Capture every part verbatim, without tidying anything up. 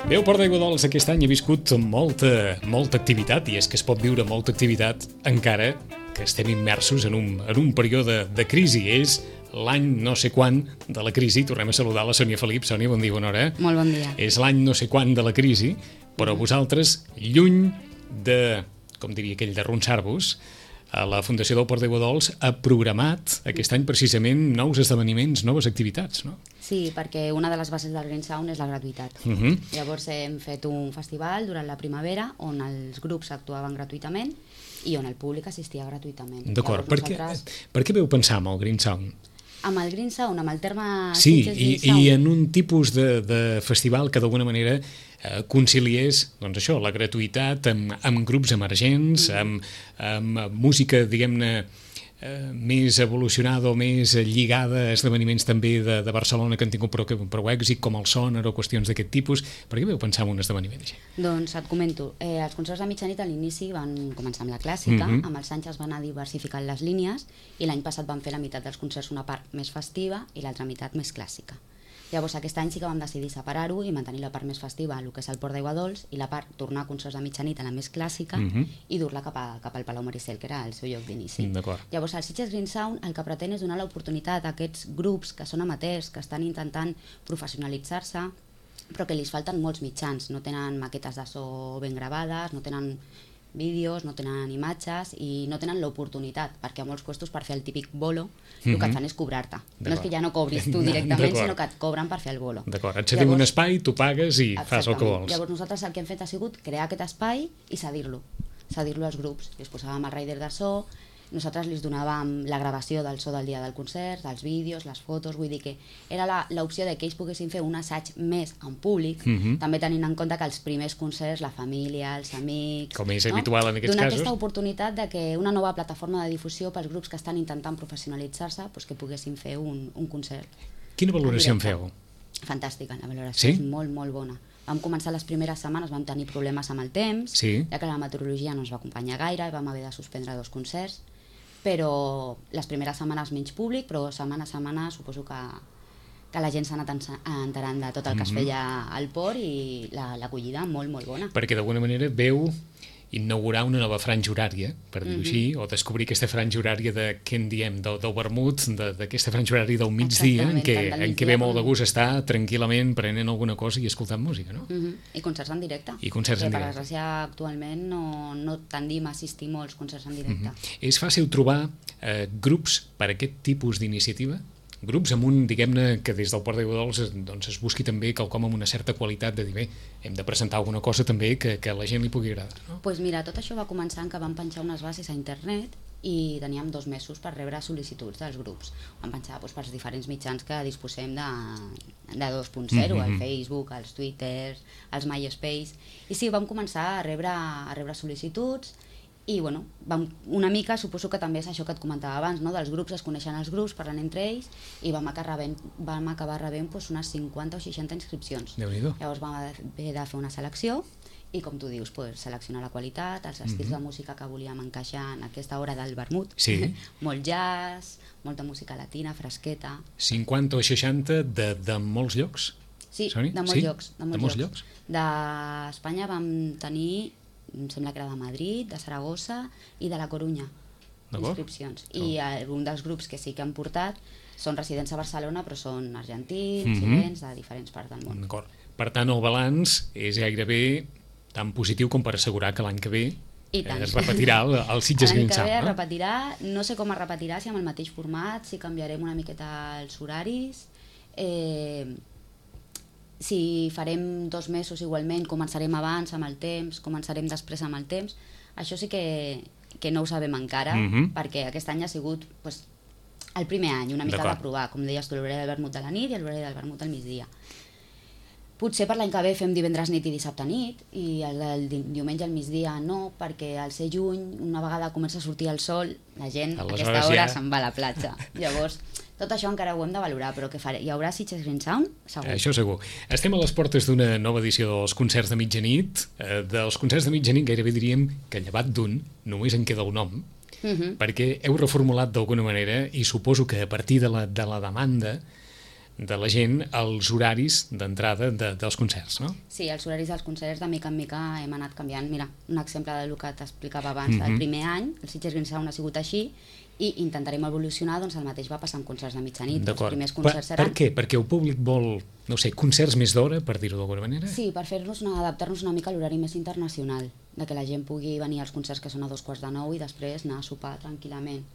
Bé, el Port d'Aiguadols aquest any ha viscut molta, molta activitat, i és que es pot viure molta activitat encara que estem immersos en un, en un període de crisi. És l'any no sé quan de la crisi. Tornem a saludar la Sònia Felip. Sònia, bon dia, bona hora. Molt bon dia. És l'any no sé quan de la crisi, però vosaltres, lluny de, com diria aquell, de ronçar-vos, a la Fundació del Port d'Aiguadols ha programat aquest any precisament nous esdeveniments, noves activitats, no? Sí, perquè una de les bases del Green Sound és la gratuïtat. Uh -huh. Llavors hem fet un festival durant la primavera on els grups actuaven gratuïtament i on el públic assistia gratuïtament. D'acord, per, nosaltres... per què veu pensar en el Green Sound? Amb el Green Sound, amb el terme... Sí, i, i en un tipus de, de festival que d'alguna manera eh, conciliés, doncs això, la gratuïtat amb, amb grups emergents, mm. amb, amb música, diguem-ne, eh, més evolucionada o més lligada a esdeveniments també de, de Barcelona que han tingut prou, prou èxit, com el Sonar o qüestions d'aquest tipus. Per què veu pensar en un esdeveniment així? Doncs et comento, eh, els concerts de mitjanit a l'inici van començar amb la clàssica, mm -hmm. amb els anys es van anar diversificant les línies i l'any passat van fer la meitat dels concerts una part més festiva i l'altra meitat més clàssica. Llavors aquest any sí que vam decidir separar-ho i mantenir la part més festiva, el que és el Port d'Aiguadols, i la part tornar a concerts de mitjanit a la més clàssica mm -hmm. i dur-la cap, a, cap al Palau Maricel, que era el seu lloc d'inici. Llavors el Sitges Green Sound el que pretén és donar l'oportunitat a aquests grups que són amateurs, que estan intentant professionalitzar-se, però que li falten molts mitjans, no tenen maquetes de so ben gravades, no tenen vídeos, no tenen imatges i no tenen l'oportunitat, perquè a molts puestos per fer el típic bolo mm -hmm. el que et fan és cobrar-te. No és que ja no cobris tu directament, sinó que et cobren per fer el bolo. D'acord, et cedim un espai, tu pagues i fas el que vols. Llavors nosaltres el que hem fet ha sigut crear aquest espai i cedir-lo, cedir-lo als grups. Els posàvem el rider de so, nosaltres li donàvem la gravació del so del dia del concert, dels vídeos, les fotos, vull dir que era l'opció de que ells poguessin fer un assaig més en públic, mm -hmm. també tenint en compte que els primers concerts, la família, els amics... Com és no? habitual en aquests Donar casos. Donar aquesta oportunitat de que una nova plataforma de difusió pels grups que estan intentant professionalitzar-se, doncs que poguessin fer un, un concert. Quina valoració en feu? Fantàstica, la valoració sí? és molt, molt bona. Vam començar les primeres setmanes, vam tenir problemes amb el temps, sí. ja que la meteorologia no ens va acompanyar gaire i vam haver de suspendre dos concerts, però les primeres setmanes menys públic, però setmana a setmana suposo que, que la gent s'ha anat enterant de tot el que es feia al port i l'acollida la, molt, molt bona. Perquè d'alguna manera veu inaugurar una nova franja horària, per dir-ho mm -hmm. així, o descobrir aquesta franja horària de, què en diem, del, del vermut, d'aquesta franja horària del migdia, en què, en què ve molt de gust estar tranquil·lament prenent alguna cosa i escoltant música, no? Mm -hmm. I concerts en directe. I concerts en directe. Per desgràcia, actualment no, no tendim a assistir molts concerts en directe. Mm -hmm. És fàcil trobar eh, grups per a aquest tipus d'iniciativa? Grups amb un, diguem-ne, que des del Port d'Aiguadols doncs, es busqui també quelcom amb una certa qualitat de dir, bé, hem de presentar alguna cosa també que, que a la gent li pugui agradar, no? Doncs pues mira, tot això va començar en que vam penjar unes bases a internet i teníem dos mesos per rebre sol·licituds dels grups. Vam penjar doncs, pels diferents mitjans que disposem de, de dos punt zero, mm -hmm. el Facebook, els Twitter, els MySpace, i sí, vam començar a rebre, a rebre sol·licituds. I bueno, vam, una mica, suposo que també és això que et comentava abans, no? Dels grups, es coneixen els grups, parlen entre ells, i vam acabar rebent, vam acabar rebent doncs, unes cinquanta o seixanta inscripcions. Déu-n'hi-do. Llavors vam haver de fer una selecció, i com tu dius, pues, seleccionar la qualitat, els estils mm-hmm. de música que volíem encaixar en aquesta hora del vermut, sí. molt jazz, molta música latina, fresqueta. cinquanta o seixanta de, de molts llocs? Sí, Soni? de molts sí? llocs. De molts, de molts llocs. llocs? D'Espanya vam tenir, em sembla que era de Madrid, de Saragossa i de la Corunya, inscripcions. I un dels grups que sí que han portat són residents a Barcelona, però són argentins, mm-hmm. xilens, de diferents parts del món. D'acord. Per tant, el balanç és gairebé tan positiu com per assegurar que l'any que ve es repetirà el, el Sitges Green Sound. L'any que ve es repetirà, no sé com es repetirà, si amb el mateix format, si canviarem una miqueta els horaris, eh, si farem dos mesos igualment, començarem abans amb el temps, començarem després amb el temps, això sí que, que no ho sabem encara, mm-hmm. perquè aquest any ha sigut pues, el primer any, una mica de provar, com deies tu, l'horari del vermut de la nit i l'horari del vermut del migdia. Potser per l'any que ve fem divendres nit i dissabte nit, i el, el diumenge al migdia no, perquè al ser juny, una vegada comença a sortir el sol, la gent a aquesta hora ja se'n va a la platja. Llavors, tot això encara ho hem de valorar, però què faré? Hi haurà Sitges Green Sound? Segur. Això segur. Estem a les portes d'una nova edició dels concerts de mitjanit. Eh, dels concerts de mitjanit gairebé diríem que llevat d'un només en queda el nom, uh-huh. perquè heu reformulat d'alguna manera, i suposo que a partir de la, de la demanda de la gent els horaris d'entrada de, dels concerts, no? Sí, els horaris dels concerts de mica en mica hem anat canviant. Mira, un exemple del que t'explicava abans, Mm-hmm. del primer any, el Sitges Green Sound ha sigut així, i intentarem evolucionar, doncs el mateix va passar amb concerts de mitjanit. Els D'acord. primers Per, concerts per seran... què? Perquè el públic vol, no sé, concerts més d'hora, per dir-ho d'alguna manera? Sí, per fer-nos una, adaptar-nos una mica a l'horari més internacional, de que la gent pugui venir als concerts que són a dos quarts de nou i després anar a sopar tranquil·lament.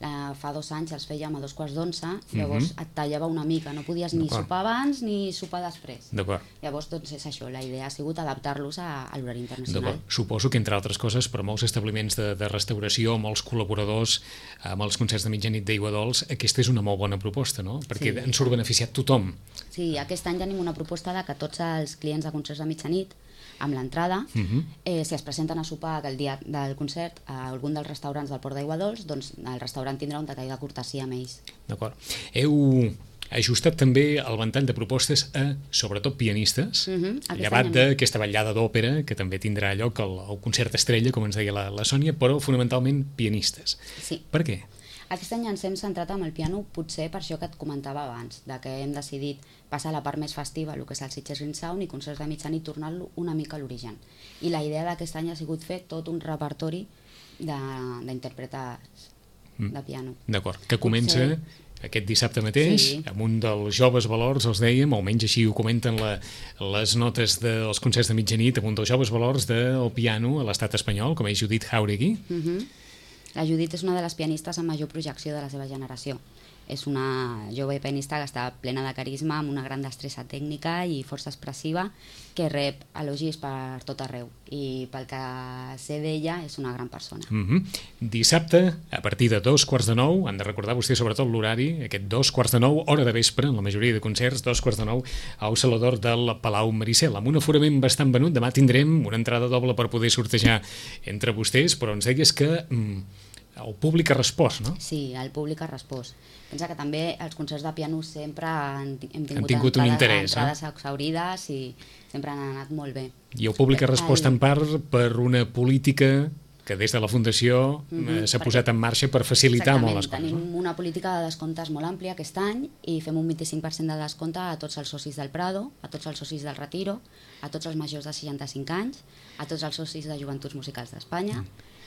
La, fa dos anys els fèiem a dos quarts d'onze, llavors Mhm. et tallava una mica, no podies ni D'acord. sopar abans ni sopar després. D'acord. Llavors, doncs és això, la idea ha sigut adaptar-los a, a l'horari internacional. D'acord. Suposo que, entre altres coses, per molts establiments de, de restauració, molts col·laboradors, amb els concerts de mitjanit d'Aiguadols, aquesta és una molt bona proposta, no? Perquè Sí. en surt beneficiat tothom. Sí, aquest any tenim una proposta de que tots els clients de concerts de mitjanit, amb l'entrada, Mhm. eh, si es presenten a sopar el dia del concert a algun dels restaurants del Port d'Aiguadols, doncs el restaurant tindrà un detall de cortesia amb ells. D'acord. Heu ajustat també el ventall de propostes a, sobretot, pianistes, Mhm, aquest llevat any hem- d'aquesta ballada d'òpera, que també tindrà lloc al, al concert estrella, com ens deia la, la Sònia, però fonamentalment pianistes. Sí. Per què? Aquest any ens hem centrat amb el piano, potser per això que et comentava abans, de que hem decidit passar a la part més festiva, el que és el Sitges Green Sound, i concerts de mitjanit, tornar-lo una mica a l'origen. I la idea d'aquest any ha sigut fer tot un repertori de- d'interpretar de piano. D'acord, que comença Potser- aquest dissabte mateix, Sí. amb un dels joves valors, els dèiem, almenys així ho comenten la, les notes dels concerts de mitjanit, amb un dels joves valors del piano a l'estat espanyol, com és Judith Jauregui. Mhm. La Judit és una de les pianistes amb major projecció de la seva generació. És una jove pianista que està plena de carisma, amb una gran destressa tècnica i força expressiva, que rep elogis per tot arreu. I pel que sé d'ella, és una gran persona. Mm-hmm. Dissabte, a partir de dos quarts de nou, han de recordar vostè sobretot l'horari, aquest dos quarts de nou, hora de vespre, en la majoria de concerts, dos quarts de nou, al Salador del Palau Maricel, amb un aforament bastant venut. Demà tindrem una entrada doble per poder sortejar entre vostès, però ens deies que mm, el públic ha respost, no? Sí, el públic ha respost. Pensa que també els concerts de piano sempre han, hem tingut, Han tingut un entrades, interès, entrades exaurides i sempre han anat molt bé. I el públic ha respost El- en part per una política que des de la Fundació Mhm, eh, s'ha perquè- posat en marxa per facilitar molt les Exactament, coses. tenim No? una política de descomptes molt àmplia aquest any i fem un vint-i-cinc per cent de descompte a tots els socis del Prado, a tots els socis del Retiro, a tots els majors de seixanta-cinc anys, a tots els socis de Joventuts Musicals d'Espanya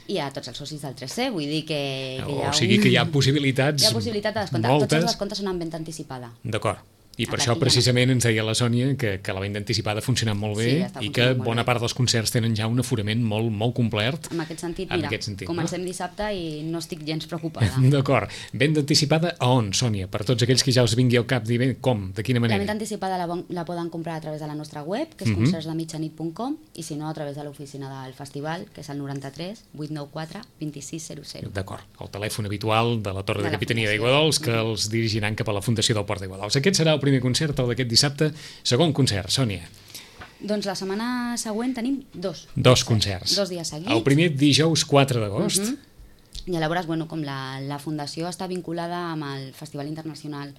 i a tots els socis del tres C, vull dir que, que hi ha O sigui un... que hi ha possibilitats Hi ha possibilitat de descompte. moltes. Tots els descomptes són en venda anticipada. D'acord. I per A això partir de- precisament ens deia la Sònia que, que la venda anticipada ha funcionat molt bé Sí, està i que funcionant molt bona bé. part dels concerts tenen ja un aforament molt, molt complert. En aquest sentit, En mira, aquest sentit, comencem no? dissabte i no estic gens preocupada. D'acord. Venda anticipada a on, Sònia? Per tots aquells que ja us vingui al cap dir bé, com, de quina La manera? venda anticipada la, bon- la poden comprar a través de la nostra web, que és Mhm. concerts de mitjanit punt com, i si no, a través de l'oficina del festival, que és el noranta-tres vuit nou quatre vint sis zero zero. D'acord, el telèfon habitual de la Torre de, De la Capitania Fundació. d'Aiguadols que els dirigiran cap a la Fundació del Port d'Aiguadols. Aquest serà el primer concert, el d'aquest dissabte. Segon concert, Sònia. Doncs la setmana següent tenim dos. Dos concerts. Dos dies seguits. El primer dijous quatre d'agost. Mhm. I llavors, bueno, com la, la Fundació està vinculada amb el Festival Internacional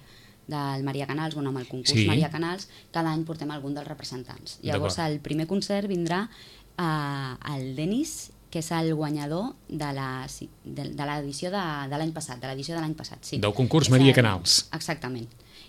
del Maria Canals, bueno, amb el concurs Sí. Maria Canals, cada any portem algun dels representants. Llavors, D'acord. el primer concert vindrà eh, el Denis, que és el guanyador de la- de, de l'edició de, de l'any passat, de l'edició de l'any passat, sí. Del concurs És Maria el- Canals. Exactament.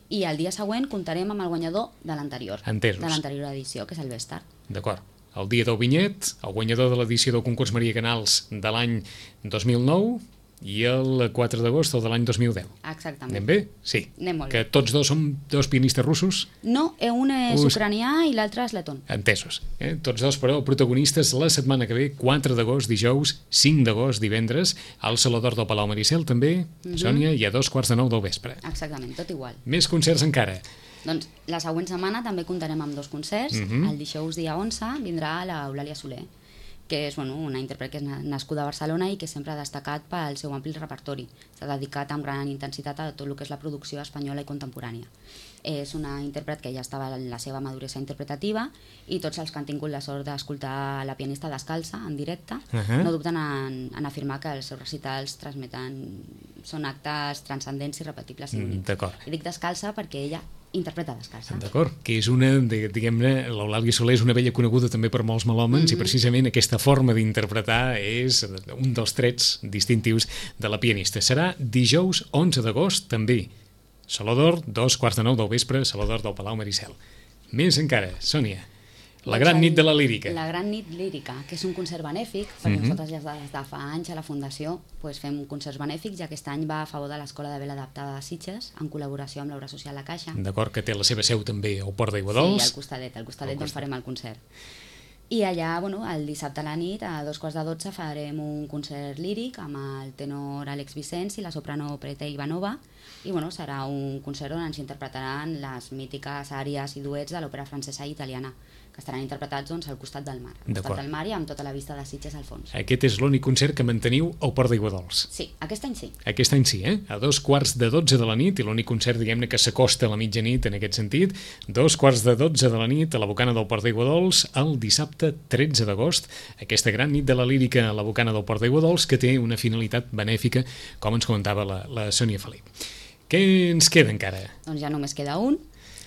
I el dia següent comptarem amb el guanyador de l'anterior, Entesos. de l'anterior edició, que és el Vestar. D'acord. El dia del vinyet, el guanyador de l'edició del concurs Maria Canals de l'any dos mil nou i el quatre d'agost el de l'any dos mil deu. Exactament. Anem bé? Sí. Anem molt Que bé. tots dos som dos pianistes russos? No, eh, un és Us- ucranià i l'altre és letón. Entesos. Eh? Tots dos, però, protagonistes la setmana que ve, quatre d'agost, dijous, cinc d'agost, divendres, al Salador del Palau Maricel, també, Mhm. Sònia, i a dos quarts de nou del vespre. Exactament, tot igual. Més concerts encara. Doncs la següent setmana també comptarem amb dos concerts. Mhm. El dijous dia onze vindrà l'Eulàlia Soler, que és bueno, una intèrpret que és na- nascuda a Barcelona i que sempre ha destacat pel seu ampli repertori. S'ha dedicat amb gran intensitat a tot el que és la producció espanyola i contemporània. És una intèrpret que ja estava en la seva maduresa interpretativa i tots els que han tingut la sort d'escoltar la pianista descalça en directe Ahà. no dubten en, en afirmar que els seus recitals transmeten, són actes transcendents, irrepetibles i Mm, únics. d'acord. I dic descalça perquè ella interpreta descalça. D'acord, que és una, de, diguem-ne, l'Eulàlia Soler és una vella coneguda també per molts melòmens Mhm. i precisament aquesta forma d'interpretar és un dels trets distintius de la pianista. Serà dijous onze d'agost, també, Saló d'Or, dos quarts de nou del vespre, Saló d'Or del Palau Maricel. Més encara, Sònia, la gran nit de la lírica. La gran nit lírica, que és un concert benèfic, perquè Mhm. nosaltres ja des de fa anys a la Fundació pues, fem concerts benèfics, ja aquest any va a favor de l'Escola de Vela Adaptada de Sitges, en col·laboració amb l'Obra Social La Caixa. D'acord, que té la seva seu també al Port d'Aigua Sí, Dols. al costadet, al costadet Al d'on costat. farem el concert. I allà, bueno, el dissabte a la nit, a dos quarts de dotze, farem un concert líric amb el tenor Àlex Vicenç i la soprano Prete Ivanova, i bueno, serà un concert on ens interpretaran les mítiques àries i duets de l'òpera francesa i italiana, que estaran interpretats doncs, al costat del mar, al D'acord. costat del mar i amb tota la vista de Sitges al fons. Aquest és l'únic concert que manteniu al Port d'Aigua Dols. Sí, aquest any sí. Aquest any sí, eh? A dos quarts de dotze de la nit, i l'únic concert, diguem-ne, que s'acosta a la mitjanit en aquest sentit, dos quarts de dotze de la nit a la Bocana del Port d'Aigua Dols, el dissabte tretze d'agost, aquesta gran nit de la lírica a la Bocana del Port d'Aigua Dols, que té una finalitat benèfica, com ens comentava la, la Sònia Felip. Què ens queda encara? Doncs ja només queda un,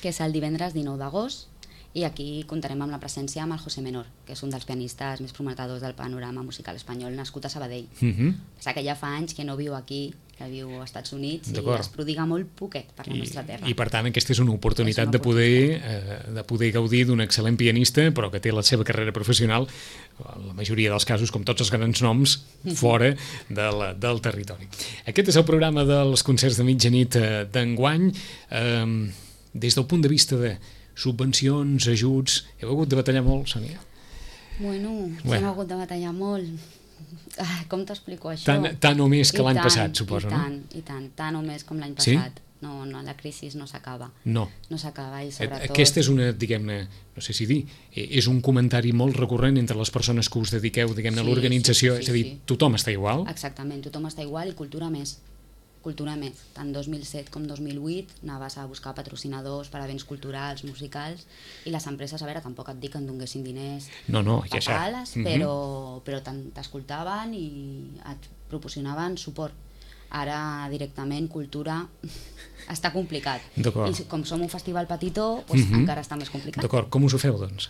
que és el divendres dinou d'agost, i aquí comptarem amb la presència amb el José Menor, que és un dels pianistes més prometedors del panorama musical espanyol, nascut a Sabadell. Uh -huh. Passa que ja fa anys que no viu aquí, que viu als Estats Units, i es prodiga molt poquet per la I, nostra terra. I per tant aquesta és una oportunitat, És una de poder eh, de poder gaudir d'un excel·lent pianista, però que té la seva carrera professional, en la majoria dels casos, com tots els grans noms, fora de la, del territori. Aquest és el programa dels concerts de mitjanit eh, d'enguany. Eh, des del punt de vista de subvencions, ajuts, heu hagut de batallar molt, Sònia? Bueno, sí Bueno. hem hagut de batallar molt. Ah, com t'explico això? Tant, tant o més que I l'any tant, passat, suposo, i no? tant, I tant, tant o més com l'any Sí? passat. No, no, la crisi no s'acaba. No. No s'acaba i sobretot... Aquesta és una, diguem-ne, no sé si dir, és un comentari molt recurrent entre les persones que us dediqueu, diguem-ne, a Sí, l'organització, sí, sí, és a dir, sí. tothom està igual? Exactament, tothom està igual i cultura més. Cultura més. Tant dos mil set com dos mil vuit anaves a buscar patrocinadors per a béns culturals, musicals, i les empreses, a veure, tampoc et dic que en donguessin diners No, no, ja a això. pales, Mhm. però, però tant t'escoltaven i et proporcionaven suport. Ara directament cultura està complicat. D'acord. I com som un festival petitó, doncs Mhm. encara està més complicat. D'acord, com us ho feu, doncs?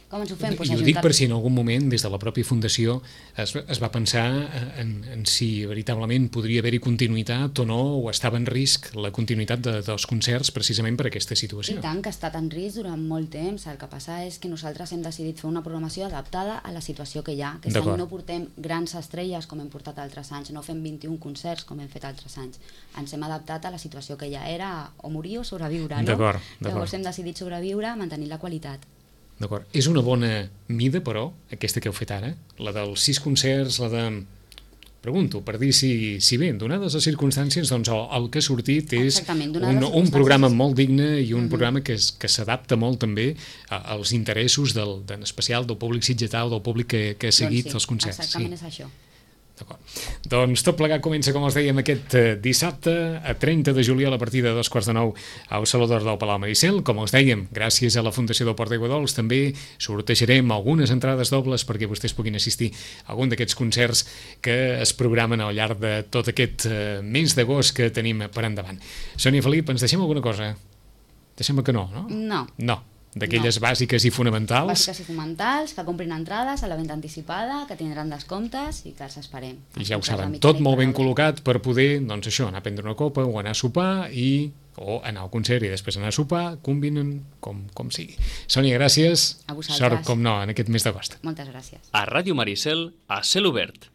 Com ens ho fem? Pues I ho dic per si en algun moment, des de la pròpia Fundació, es, es va pensar en, en si veritablement podria haver-hi continuïtat o no, o estava en risc la continuïtat de, dels concerts precisament per aquesta situació. I tant, que ha estat en risc durant molt temps. El que passa és que nosaltres hem decidit fer una programació adaptada a la situació que hi ha. Aquest any no portem grans estrelles com hem portat altres anys, no fem vint-i-un concerts com hem fet altres anys. Ens hem adaptat a la situació que ja era o morir o sobreviure, no? D'acord, d'acord. Llavors hem decidit sobreviure mantenint la qualitat. D'acord. És una bona mida, però, aquesta que heu fet ara? La dels sis concerts, la de... Pregunto, per dir si, si bé, donades les circumstàncies, doncs el, el que ha sortit és un, un programa molt digne i un uh-huh. programa que, és, que s'adapta molt també a, als interessos, del, en especial del públic sitgetà o del públic que, que ha seguit doncs sí, els concerts. Exactament sí. és això. D'acord. Doncs tot plegat comença, com els dèiem, aquest eh, dissabte, a trenta de juliol, a partir de dos quarts de nou, al Saló d'Or del Palau Maricel. Com els dèiem, gràcies a la Fundació del Port d'Aigua Dols, també sortejarem algunes entrades dobles perquè vostès puguin assistir a algun d'aquests concerts que es programen al llarg de tot aquest eh, mes d'agost que tenim per endavant. Sònia Felip, ens deixem alguna cosa? Deixem que no, no? No. No. D'aquelles no. bàsiques i fonamentals. Bàsiques i fonamentals, que comprin entrades a la venda anticipada, que tindran descomptes i que els esperem. I ja ho saben, tot molt ben col·locat per poder, doncs això, anar a prendre una copa o anar a sopar i o anar al concert i després anar a sopar, combinen com, com sigui. Sònia, gràcies. A vosaltres. Sort, com no, en aquest mes d'agost. Moltes gràcies. A Ràdio Maricel, a cel obert.